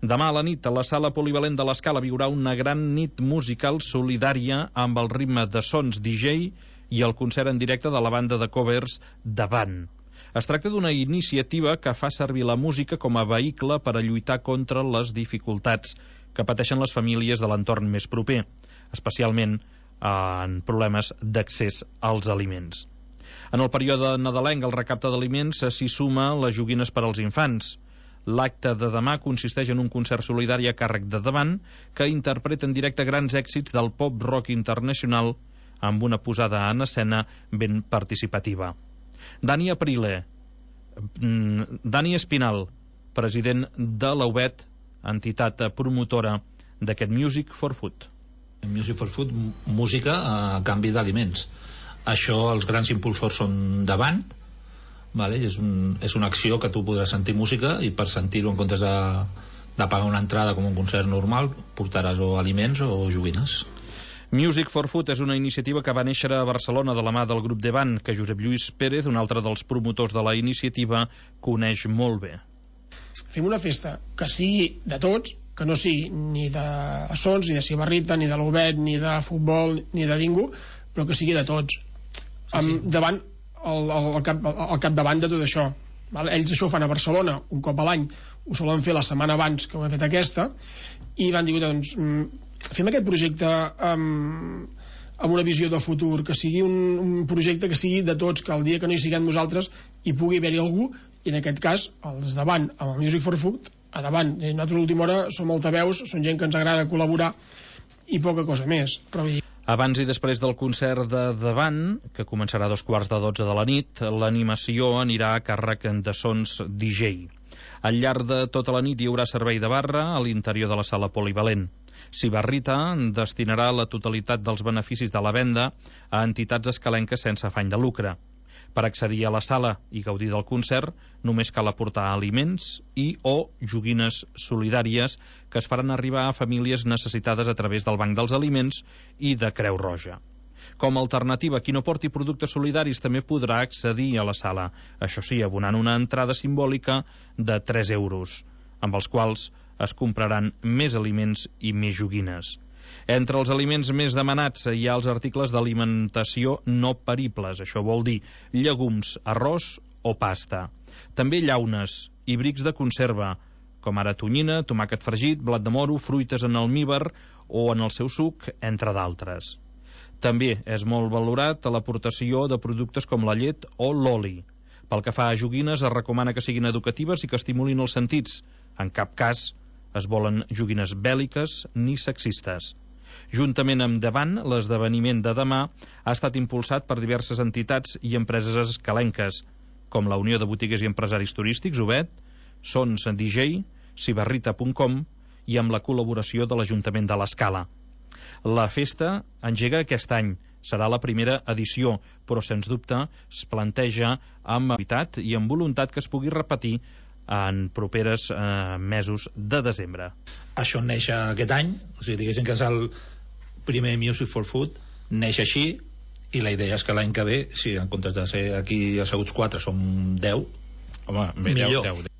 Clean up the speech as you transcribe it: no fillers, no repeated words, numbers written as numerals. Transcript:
Demà a la nit, a la sala polivalent de l'Escala viurà una gran nit musical solidària amb el ritme de sons DJ i el concert en directe de la banda de covers Davant. Es tracta d'una iniciativa que fa servir la música com a vehicle per a lluitar contra les dificultats que pateixen les famílies de l'entorn més proper, especialment en problemes d'accés als aliments. En el període nadalenc, el recapte d'aliments s'hi suma les joguines per als infants. L'acte de demà consisteix en un concert solidari a càrrec de Davant que interpreta en directe grans èxits del pop rock internacional amb una posada en escena ben participativa. Dani Espinal, president de la UBET, entitat promotora d'aquest Music for Food. Music for Food, música a canvi d'aliments. Això, els grans impulsors són Davant, vale? És una acció que tu podràs sentir música i per sentir-ho, en comptes de pagar una entrada com un concert normal, portaràs o aliments o joguines. Music for Food és una iniciativa que va néixer a Barcelona de la mà del grup Davant, que Josep Lluís Pérez, un altre dels promotors de la iniciativa, coneix molt bé. Fem una festa que sigui de tots, que no sigui ni de Sons, ni de Sibarrita, ni de l'Ubet, ni de futbol, ni de ningú, però que sigui de tots. Sí. Davant el capdavant de tot això. Ells això ho fan a Barcelona un cop a l'any, ho solen fer la setmana abans que ho hem fet aquesta, i van dir, doncs, fem aquest projecte amb una visió de futur, que sigui un projecte que sigui de tots, que el dia que no hi siguem nosaltres hi pugui haver-hi algú, i en aquest cas els Davant amb el Music for Food a Davant. Nosaltres a l'última hora som altaveus, són gent que ens agrada col·laborar i poca cosa més, però abans i després del concert de Davant, que començarà a 11:45 de la nit, l'animació anirà a càrrec de Sons DJ. Al llarg de tota la nit hi haurà servei de barra a l'interior de la sala polivalent. Sibarrita destinarà la totalitat dels beneficis de la venda a entitats escalenques sense afany de lucre. Per accedir a la sala i gaudir del concert, només cal aportar aliments o joguines solidàries que es faran arribar a famílies necessitades a través del Banc dels Aliments i de Creu Roja. Com a alternativa, qui no porti productes solidaris també podrà accedir a la sala, això sí, abonant una entrada simbòlica de 3 euros, amb els quals es compraran més aliments i més joguines. Entre els aliments més demanats hi ha els articles d'alimentació no peribles, això vol dir llegums, arròs o pasta. També llaunes i brics de conserva, com ara tonyina, tomàquet fregit, blat de moro, fruites en almíbar o en el seu suc, entre d'altres. També és molt valorat l'aportació de productes com la llet o l'oli. Pel que fa a joguines, es recomana que siguin educatives i que estimulin els sentits. En cap cas es volen joguines bèl·liques ni sexistes. Juntament amb Davant, l'esdeveniment de demà ha estat impulsat per diverses entitats i empreses escalenques, com la Unió de Botiguers i Empresaris Turístics, UBET, Sons DJ, Sibarrita.com i amb la col·laboració de l'Ajuntament de l'Escala. La festa engega aquest any, serà la primera edició, però sens dubte es planteja amb habitat i amb voluntat que es pugui repetir en properes mesos de desembre. Això neix aquest any, o sigui, diguéssim que és el primer Music for Food, neix així, i la idea és que l'any que ve, si en comptes de ser aquí asseguts 4 som 10, home, millor. 10.